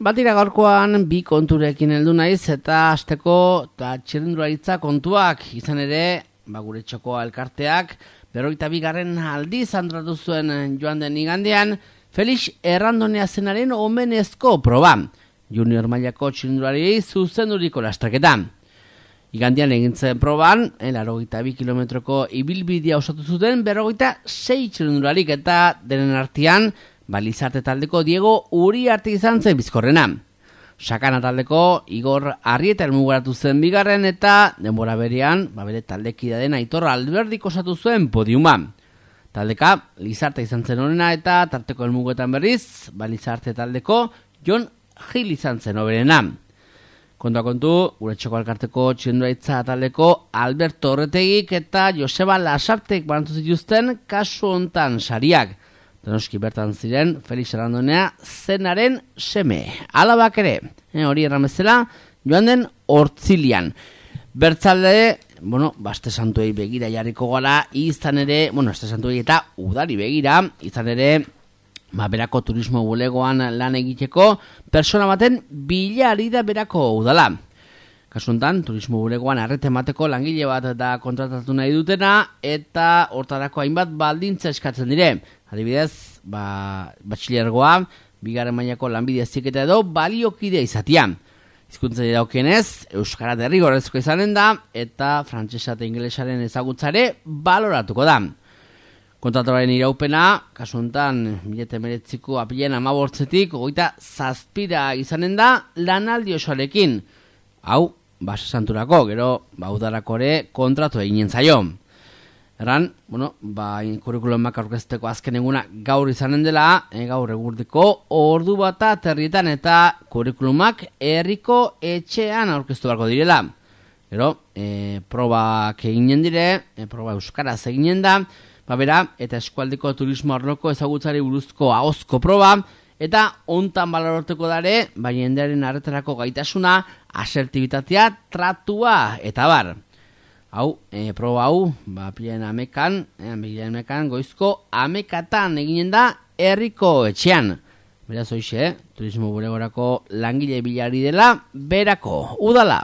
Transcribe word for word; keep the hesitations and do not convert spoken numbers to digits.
Batira gaurkoan bi konturekin heldu naiz eta hasteko eta txirrindularitza kontuak izan ere, ba gure txoko elkarteak berrogeita bigarren aldiz antolatu zuen joan den igandean Felix Errandonea zenaren omenezko proba. Junior mailako txirrindulariei zuzenduriko lasterketa. Igandean egin zen proban, laurogeita bi kilometroko ibilbidea osatu zuten berrogeita sei txirrindularik eta denen artean Balizarte taldeko Diego Uriarte izan zen bizkorrena. Sakana taldeko Igor Arrieta elmugaratu zen bigarren eta denbora berean, ba bere taldekidea den Aitor Alberdik osatu zuen podiuma. Taldeka Lizarte izan zen honena eta tarteko elmugetan berriz, Balizarte taldeko Jon Gil izan zen oberena. Kontua kontu, gure txoko elkarteko txirrindularitza taldeko Alberto Orretegik eta Joseba Lasartek banatu zituzten kasu hontan sariak. Donoski bertan ziren Felix Errandonea zenaren seme. Alabak ere, eh, hori erramezela, joan den hortzilian. Bertzalde, bueno, baste santuei begira jarriko gara, izan ere, bueno, este santuei eta udari begira, izan ere, ba, berako turismo bulegoan lan egiteko, persona baten bilari da berako udala. Kasuntan, turismo bulegoan arrete emateko langile bat da kontratatu nahi dutena, eta hortarako hainbat baldintza eskatzen dire. Adibidez, ba, batxilergoa, bigarren mailako lanbide heziketa edo baliokidea izatea. Hizkuntzari dagokionez, euskara derrigorrezkoa izanen da, eta frantsesa eta ingelesaren ezagutzare baloratuko da. Kontratuaren iraupena, kasu honetan, mila hemeretziko apilean hamabortzetik, hogeita zazpira izanen da lanaldi osoarekin. Hau, base santurako, gero, ba, udarako ere kontratu eginen zaio. Erran, bueno, ba, kurrikulumak aurkezteko azken eguna gaur izanen dela, e, gaur egurteko ordu bata terrietan eta kurrikulumak herriko etxean aurkeztu beharko direla. Gero, e, probak eginen dire, e, proba euskaraz eginen da, ba bera, eta eskualdeko turismo arloko ezagutzari buruzko ahozko proba, eta hontan balorteko dare, ba, jendearen arretarako gaitasuna, asertibitatea, tratua, eta bar. Hau, e, proba hau, ba, pilen amekan, e, amekan, goizko amekatan eginen da herriko etxean. Beraz hoxe, turismo bulegorako langile bilari dela, berako, udala.